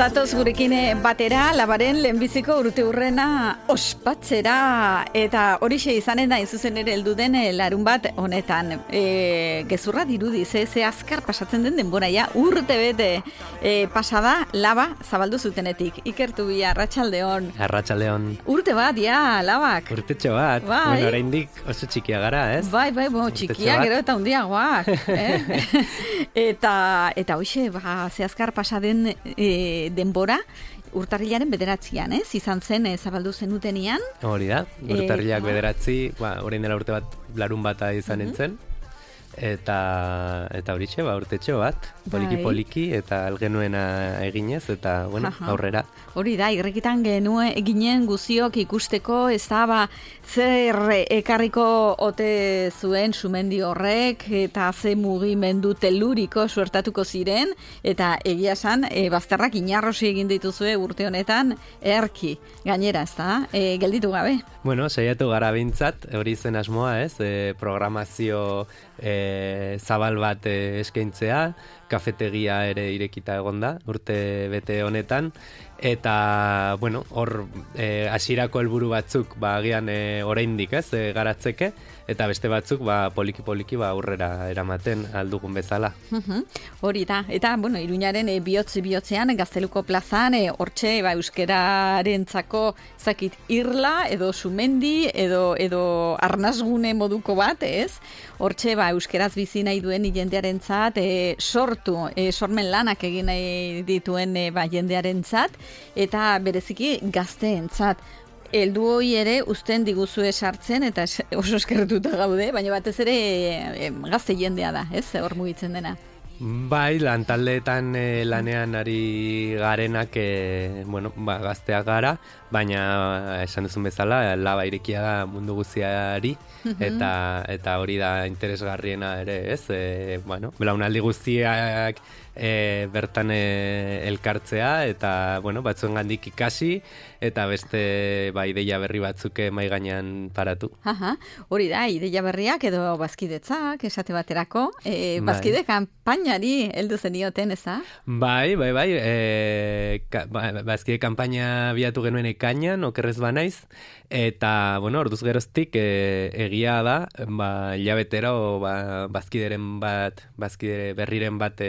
Zatoz gurekin batera, labaren lehenbiziko urteurrena ospatzera, eta horixe izanen da zuzen ere heldu den larun bat honetan. Gezurra dirudi, ze azkar pasatzen den denbora, ja, urte bete pasada laba zabaldu zutenetik. Ikertu bi, arratsaldeon. Arratsaldeon. Urte bat, ja, labak. Urtetxo bat. Bai. Bueno, oraindik oso txikia gara, ez? Bai, txikia, gero eta hundiagoak. Eta hoxe, ze azkar pasaden denbora, urtarrilaren 9, izan zen zabaldu zenutenian. Hori da, urtarrilak 9, orain dela urte bat larun bata izan entzen. Eta horixe, urtetxo bat, poliki eta algenuena eginez, eta aurrera. Hori da, irrekitan ginen guziok ikusteko, ez da, zer ekarriko ote zuen sumendi horrek, eta ze mugimendu teluriko suertatuko ziren, eta egia esan, bazterrak inarrosi egin dituzue urte honetan, erki, gainera, ez da, gelditu gabe. Bueno, saiatu gara bintzat, hori zen asmoa, ez, programazio zabal bat eskaintzea, kafetegia ere irekita egonda, urte bete honetan, eta, bueno, hor hasierako helburu batzuk, agian oraindik, ez, garatzeke, eta beste batzuk, poliki aurrera eramaten aldugun bezala. Hori da, eta, bueno, Iruñaren bihotzean, Gazteluko plazan, hortxe, euskararentzako zakit irla, edo sumendi, edo arnasgune moduko bat, ez? Hortxe, euskeraz bizi nahi duen jendearentzat sormen lanak egin nahi dituen jendearentzat, eta bereziki gazteentzat. Heldu hori ere uzten diguzue sartzen, eta oso eskertuta gaude, baina batez ere gazte jendea da, ez? Hor mugitzen dena. Bai, lantaldeetan lanean ari garenak, gazteak gara, baina esan duzun bezala, laba irekia da mundu guztiari, eta hori da interesgarriena ere, ez? Belaunaldi guztiak bertan elkartzea, eta, batzuengandik ikasi, eta beste ideia berri batzuk mahai gainean paratu. Hori da, ideia berriak edo bazkidetzak, esate baterako, bazkide kanpainari heldu zenioten, ez da? Bai, bazkide kanpaina biatu genuen ekainan, okerrez banaiz, eta, orduz geroztik egia da, hilabetero bazkide berriren bat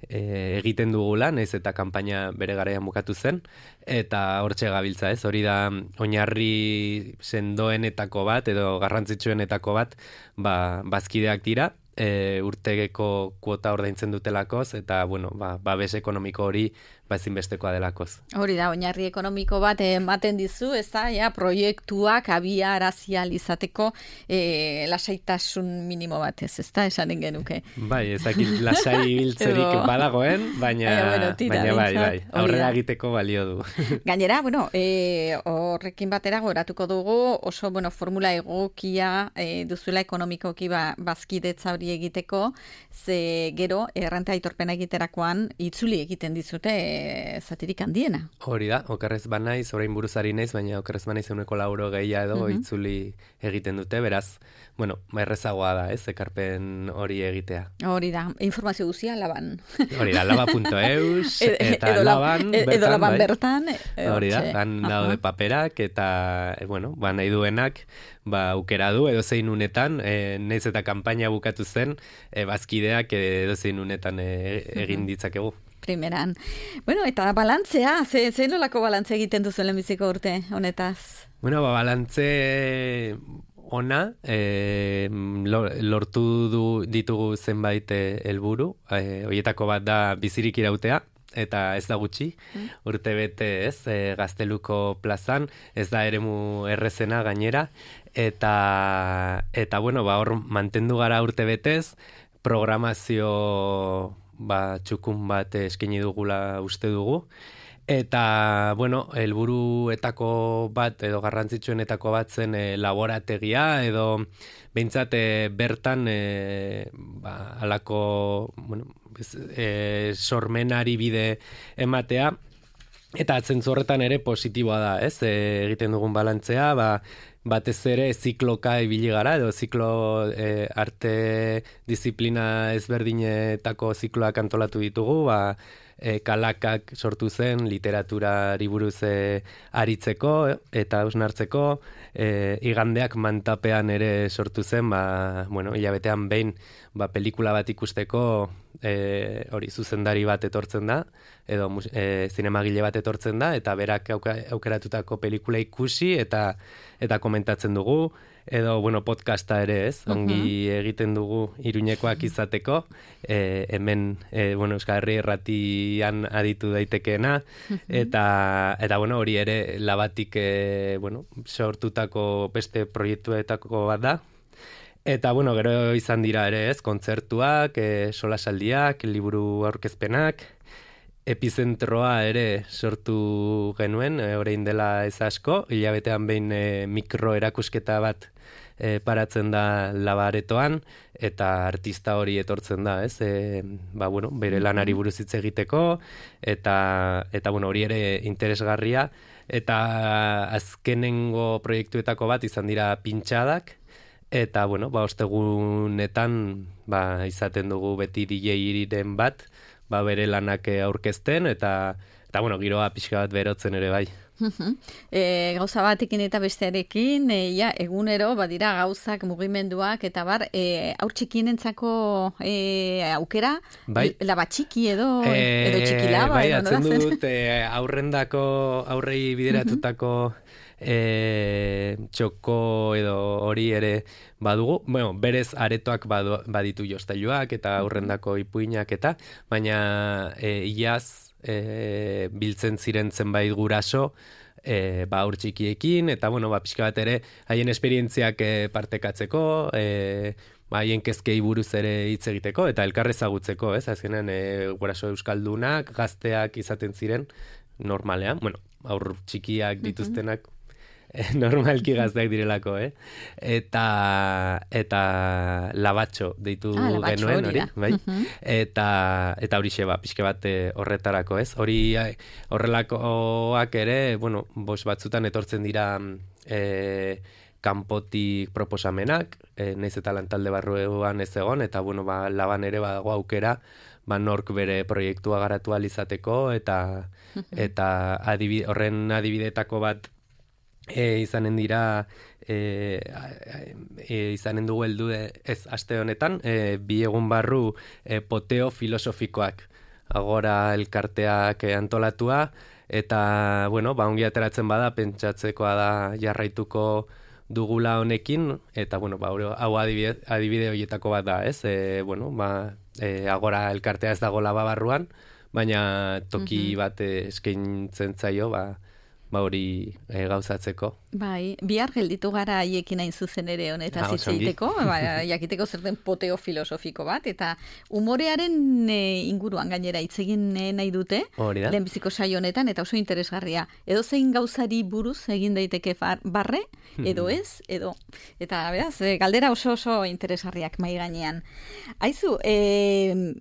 egiten dugula, nahiz eta kanpaina bere garaian bukatu zen, eta hortxe gabiltza, ez? Hori da oinarri sendoenetako bat, edo garrantzitsuenetako bat, bazkideak dira, urtegeko kuota ordaintzen dutelakoz, eta, babes ekonomiko hori ezinbestekoa delakoz. Hori da, oinarri ekonomiko bat ematen dizu, ez da, proiektuak abiarazial izateko lasaitasun minimo bat, ez da, esanen genuke. Bai, ezakit lasai biltzerik badagoen, baina bai, aurrera egiteko balio du. Gainera, horrekin batera goratuko dugu, oso, formula egokia duzuela ekonomikoki bazkidetza hori egiteko, ze gero, errenta aitorpena egiterakoan, itzuli egiten dizute zatirik handiena. Hori da, okerrez banaiz, orain buruzari naiz, baina okerrez banaiz 100 gehia edo itzuli egiten dute, beraz, errezagoa da, ez, ekarpen hori egitea. Hori da, informazio guzia laban. Hori da, laba.eus, eta laban bertan. Edo laban bertan. Hori da, han daude paperak, eta, nahi duenak, aukera du, edo zein unetan, nahiz eta kanpaina bukatu zen, bazkideak edo zein unetan egin ditzakegu. Primeran. Eta balantzea, ze nolako balantzea egiten duzu lehenbiziko urte honetaz? Balantze ona, lortu ditugu zenbait helburu, horietako bat da bizirik irautea, eta ez da gutxi, urte bete ez, Gazteluko plazan, ez da eremu errezena gainera, eta hor mantendu gara urte betez, programazio txukun bat eskaini dugula uste dugu, eta, helburuetako bat, edo garrantzitsuenetako bat zen laborategia, edo behintzat bertan halako sormenari bide ematea, eta zentzu horretan ere positiboa da, ez? Egiten dugun balantzea, batez ere zikloka ibili gara, edo ziklo arte disiplina ezberdinetako zikloak antolatu ditugu, kalakak sortu zen literaturari buruz aritzeko eta hausnartzeko, igandeak mantapean ere sortu zen, hilabetean behin pelikula bat ikusteko hori zuzendari bat etortzen da, edo zinemagile bat etortzen da, eta berak aukeratutako pelikula ikusi eta komentatzen dugu, edo, podcasta ere ez, ongi egiten dugu Iruñekoak izateko, hemen, Euskal Herri Irratian aditu daitekeena, eta hori ere labatik, sortutako beste proiektuetako bat da. Eta, gero izan dira ere ez, kontzertuak, solasaldiak, liburu aurkezpenak, epizentroa ere sortu genuen, orain dela ez asko, hilabetean behin mikro erakusketa bat paratzen da Labaretoan, eta artista hori etortzen da, ez? Bere lanari buruz hitz egiteko, eta hori ere interesgarria, eta azkenengo proiektuetako bat izan dira pintxadak, eta, ostegunetan izaten dugu beti DJ-iren bat, bere lanak aurkezten, eta giroa pixka bat berotzen ere bai. Gauza batekin eta bestearekin, egunero badira gauzak, mugimenduak, eta haur txikienentzako aukera, laba txiki edo txikilaba. Bai, atzen dut aurrei bideratutako txoko edo hori ere badugu, berez aretoak baditu jostailuak eta aurrendako ipuinak eta, baina iaz biltzen ziren zenbait guraso aur txikiekin, eta pixka bat ere haien esperientziak partekatzeko, haien kezkei buruz ere hitz egiteko, eta elkarrezagutzeko, ez? Azkenean guraso euskaldunak, gazteak izaten ziren normalean, aur txikiak dituztenak normalki gazteak direlako, eta labatxo deitu genuen hori, bai? Eta horixe pixka bat horretarako, ez? Horrelakoak ere, batzutan etortzen dira kanpotik proposamenak, nahiz eta lantalde barruan ez egon, eta laban ere badago aukera, nork bere proiektua garatu ahal izateko, eta horren adibidetako bat izanen dira izanen dugu heldu ez aste honetan, 2 egun barru poteo filosofikoak agora elkarteak antolatua, eta ongi ateratzen bada pentsatzekoa da jarraituko dugula honekin, eta hau adibide horietako bat da, ez? Agora elkartea ez dago Laba barruan, baina toki bat eskaintzen zaio, hori gauzatzeko. Bai, bihar gelditu gara haiekin hain zuzen ere honetaz hitz egiteko, jakiteko zer den poteo filosofiko bat, eta umorearen inguruan gainera hitz egin nahi dute, lehenbiziko saio honetan, eta oso interesgarria. Edo zein gauzari buruz egin daiteke barre, edo ez, edo. Eta beraz, galdera oso interesgarriak mai gainean. Aizu,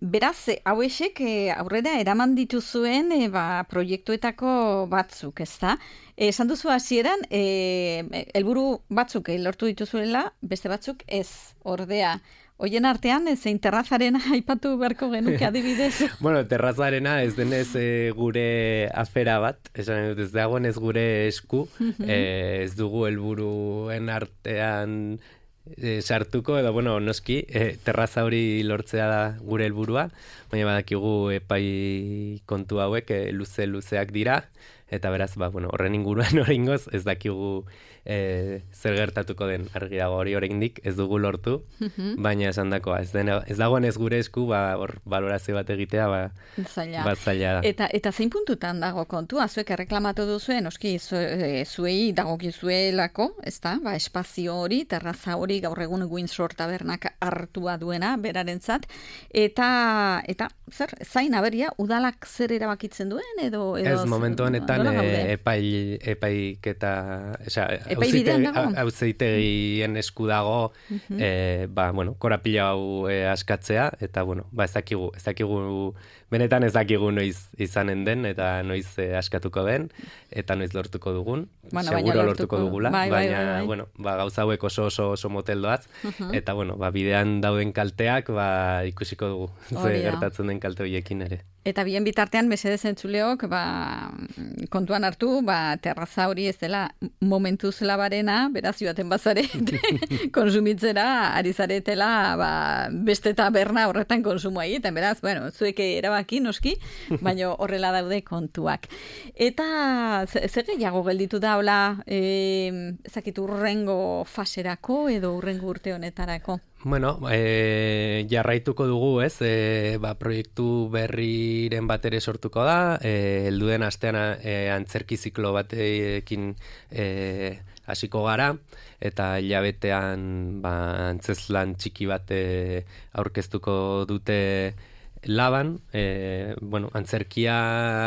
beraz, hauexek aurrera eraman dituzuen proiektuetako batzuk, ezta? Esan duzu hasieran, helburu batzuk lortu dituzuela, beste batzuk ez, ordea. Hoien artean, zein terrazarena aipatu beharko genuke adibidez? Terrazarena ez denez gure afera bat, esan dut ez dagoen ez gure esku, ez dugu helburuen artean sartuko, edo noski, terraza hori lortzea da gure helburua, baina badakigu epai kontu hauek luzeak dira, eta beraz, horren inguruan oraingoz ez dakigu zer gertatuko den argi dago hori oraindik ez dugu lortu, baina esandakoa ez dagoen ez gure esku, balorazio bat egitea, zaila da. Eta zein puntutan dago kontua, zuek erreklamatu duzuen, oski, zuei dagokizuelako, ezta? Espazio hori, terraza hori, gaur egun Windsor tabernak hartua duena, berarentzat, eta zer, zain aberia, udalak zer erabakitzen duen, edo ez, momentu honetan epaiketa, auzitegien esku dago, korapila hau askatzea, eta, ez dakigu, benetan ez dakigu noiz izanen den, eta noiz askatuko den, eta noiz lortuko dugun, seguro lortuko dugula, baina, gauza hauek oso moteldoaz, eta, bidean dauden kalteak, ikusiko dugu, ze gertatzen den kalte horiekin ere. Eta bien bitartean, mesedez entzuleok, kontuan hartu, terraza hori ez dela momentuz labarena, beraz joaten bazare, konsumitzera, ari zaretela, beste taberna horretan konsumoa egiten, beraz, bueno, zuek erabaki noski, baina horrela daude kontuak. Eta zer gehiago gelditu da, hola, ezakit urrengo faserako edo urrengo urte honetarako? Bueno, jarraituko dugu, ez? Proiektu berriren bat ere sortuko da, helduen astean antzerki ziklo batekin hasiko gara, eta hilabetean antzezlan txiki bat aurkeztuko dute Laban. Antzerkia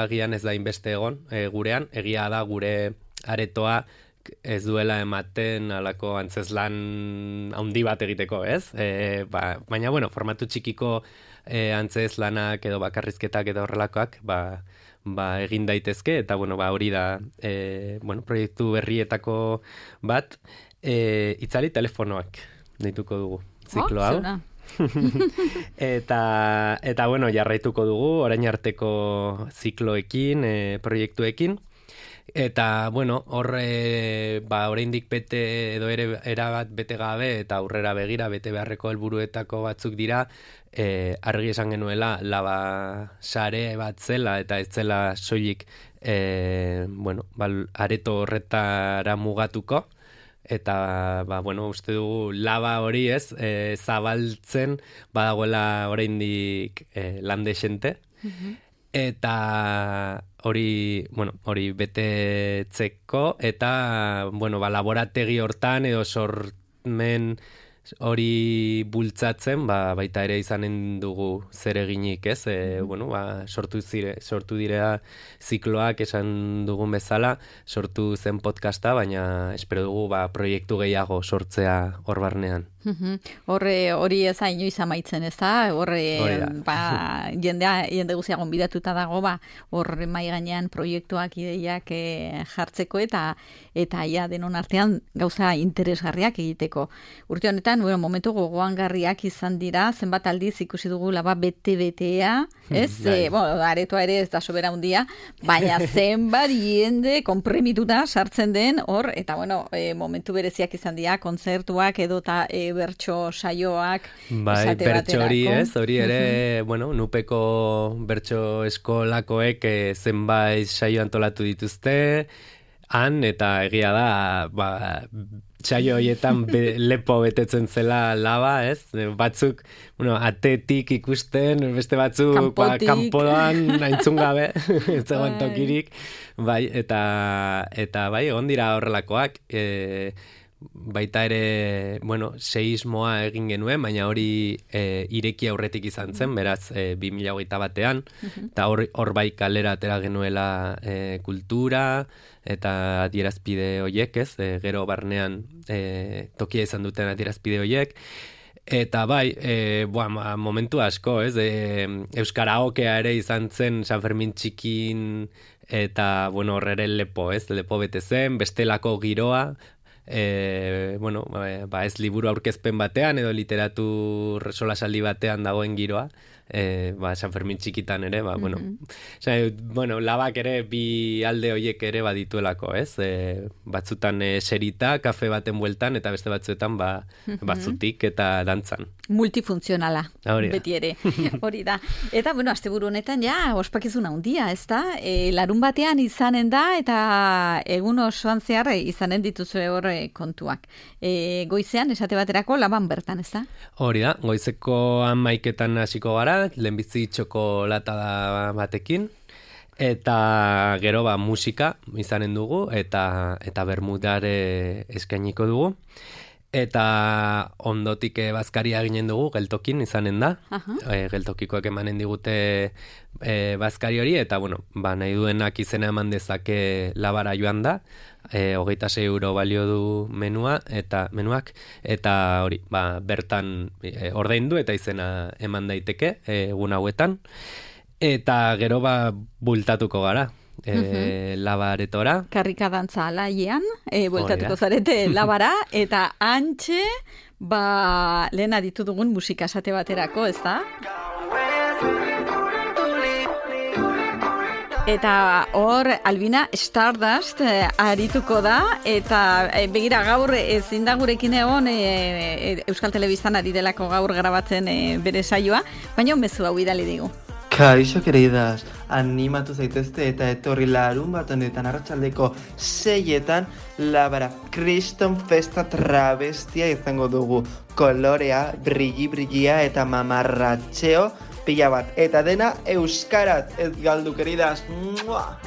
agian ez da inbeste egon gurean, egia da gure aretoa ez duela ematen alako antzezlan handi bat egiteko, ez? Baina, formatu txikiko antzezlanak edo bakarrizketak edo horrelakoak, egin daitezke, eta, hori da, proiektu berrietako bat, itzali telefonoak deituko dugu ziklo hau. Eta jarraituko dugu, orain arteko zikloekin, proiektuekin. Eta, oraindik bete edo erabat bete gabe eta aurrera begira bete beharreko helburuetako batzuk dira, argi esan genuela laba sare bat zela eta ez zela soilik areto horretara mugatuko. Eta, uste dugu laba hori ez, zabaltzen badagoela oraindik lande xente. Eta hori betetzeko, eta, laborategi hortan edo sormen hori bultzatzen, baita ere izanen dugu zer eginik, ez? Sortu direa zikloak esan dugun bezala, sortu zen podcasta, baina espero dugu proiektu gehiago sortzea hor barnean. Hori ez inoiz amaitzen, ez da? Jende guzia gonbidatuta dago, hor mai gainean proiektuak, ideiak jartzeko eta ja denon artean gauza interesgarriak egiteko. Urte honetan, momentu gogoangarriak izan dira, zenbat aldiz ikusi dugu laba bete-betea, ez? Aretoa ere ez da sobera hundia, baina zenbat jende konpremituta sartzen den hor, eta momentu bereziak izan dira, kontzertuak edota bertso saioak esate baterako. Bertso hori ez, hori ere, nupeko bertso eskolakoek zenbait saio antolatu dituzte, eta egia da, saio horietan lepo betetzen zela laba, ez? Batzuk, atetik ikusten, beste batzuk kanpoan aintzun gabe, ez zegoen tokirik, eta egon dira horrelakoak, baita ere, seismoa egin genuen, baina hori ireki aurretik izan zen, beraz 2021ean, eta hor bai kalera atera genuela kultura, eta adierazpide hoiek, ez? Gero barnean tokia izan duten adierazpide hoiek, eta momentu asko, ez? Euskaraokea ere izan zen San Fermin txikin, eta horrere lepo, ez? Lepo bete zen, bestelako giroa, ez liburu aurkezpen batean edo literatur solasaldi batean dagoen giroa, San Fermin txikitan ere, labak ere bi alde hoiek ere badituelako, ez? Batzutan serita, kafe baten bueltan, eta beste batzuetan batzutik eta dantzan. Multifuntzionala, beti ere, hori da. Eta, asteburu honetan, ospakizuna handia, ez da? Larun batean izanen da, eta egun osoan zehar izanen dituzue horre kontuak. Goizean, esate baterako, laban bertan, ez da? Hori da, goizeko 11etan hasiko gara, lehenbizi txokolatada batekin, eta gero musika izanen dugu, eta bermudare eskainiko dugu. Eta ondotik bazkaria ginen dugu, geltokin izanen da. Geltokikoek emanen digute bazkari hori, eta nahi duenak izena eman dezake labara joan da. 26 euro balio du menuak, eta hori, bertan ordaindu eta izena eman daiteke egun hauetan. Eta gero bultatuko gara. Labaretora. Karrika dantza alaiean, bueltatuko zarete labara, eta antxe, lehen aditu dugun musika esate baterako, ez da? Eta hor, Albina Stardust arituko da, eta begira gaur ezin da gurekin egon Euskal Telebistan ari delako gaur grabatzen bere saioa, baina mezu hau bidali digu. Kaixo, queridas, animatu zaitezte eta etorri larun bat honetan arratsaldeko 6etan Labara Kriston Festa travestia izango dugu. Kolorea, brillia eta mamarratxeo pila bat. Eta dena euskaraz, ez galdu, queridas. ¡Mua!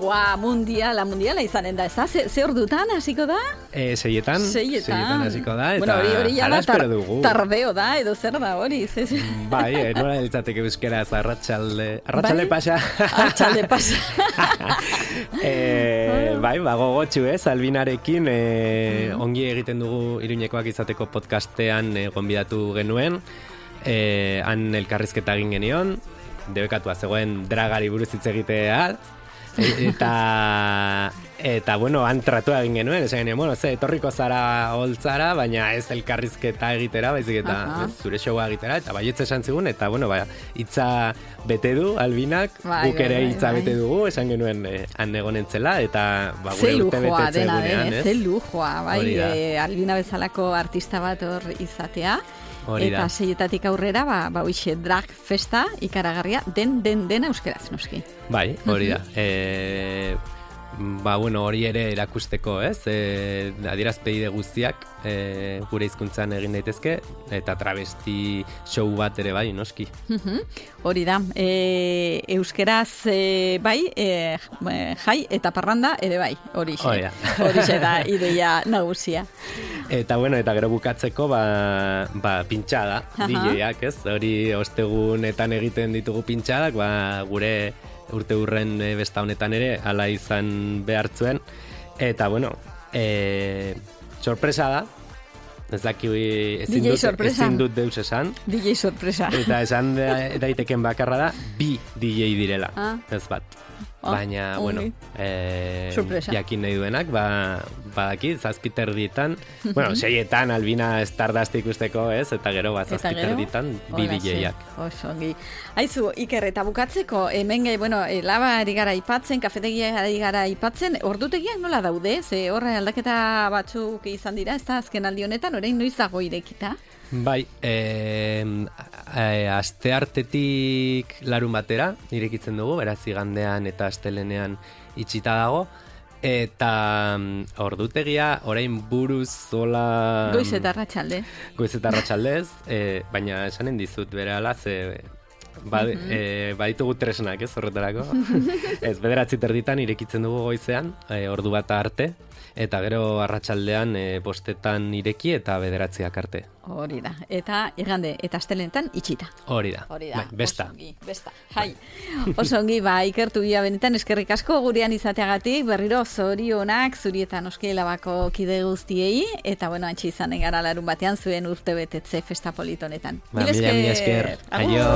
Buah, mundiala izanen da, ez da? Ze ordutan hasiko da? 6etan hasiko da, eta hori hala espero dugu. Tardeo da, edo zer da hori? Bai, nola eltzateke euskeraz arratsalde pasa. Arratsalde pasa. Bai, gogotxu ez, Albinarekin ongi egiten dugu Iruñekoak izateko podcastean gonbidatu genuen, han elkarrizketa egin genion, debekatua zegoen dragari buruz hitz egitea, eta bueno, han tratua egin genuen, esan genuen, bueno, etorriko zara holtzara, baina ez elkarrizketa egitera, baizik eta zure showa egitera, eta baietz esan zigun, eta bueno, hitza bete du Albinak, guk ere hitza bete dugu, esan genuen han egonentzela, eta gure urte betetze egunean, Ze lujoa, bai, Albina bezalako artista bat hor izatea. Eta 6etatik aurrera, hoixe drag festa ikaragarria den euskeraz, noski. Bai, hori da. Bueno, hori ere erakusteko, ez? Adierazpide guztiak gure hizkuntzan egin daitezke, eta travesti show bat ere bai, noski. Hori da. Euskeraz bai, jai eta parranda ere bai, horixe da ideia nagusia. Eta bueno, eta gero bukatzeko pintxada, DJ-ak, ez? Hori ostegunetan egiten ditugu pintxadak, gure urte hurren besta honetan ere hala izan behartzuen. Eta bueno, sorpresa da. Ez daki ezin dut deus esan. DJ sorpresa. Eta esan daiteken bakarra da, 2 DJ direla, ez bat. Baina, bueno, jakin nahi duenak, badaki, 7:30, bueno, 6etan Albina Stardust ikusteko, ez? Eta gero, 7:30 2 DJ-ak. Osongi. Aizu, Iker, eta bukatzeko, hemen, laba ari gara ipatzen, kafetegia ari gara ipatzen, ordutegiak nola daude? Ze horre aldaketa batzuk izan dira, ez da azken aldi honetan, orain noiz dago irekita? Bai, asteartetik larun batera irekitzen dugu, beraz igandean eta astelenean itxita dago, eta ordutegia orain buruz zola... Goiz eta arratsaldez, baina esanen dizut berehala, baditugu tresnak, ez horretarako. Ez, 9:30 irekitzen dugu goizean, ordu bat arte, eta gero arratsaldean 5:00 ireki eta 9:00 arte. Hori da. Eta igande eta astelenetan itxita. Hori da. Besta. Jai. Oso ongi, Ikertu benetan eskerrik asko gurean izateagatik, berriro zorionak zuri eta noski Labako kide guztiei, eta bueno, antxe izanen gara larun batean zuen urte betetze festa politonetan. Mila esker. Aio.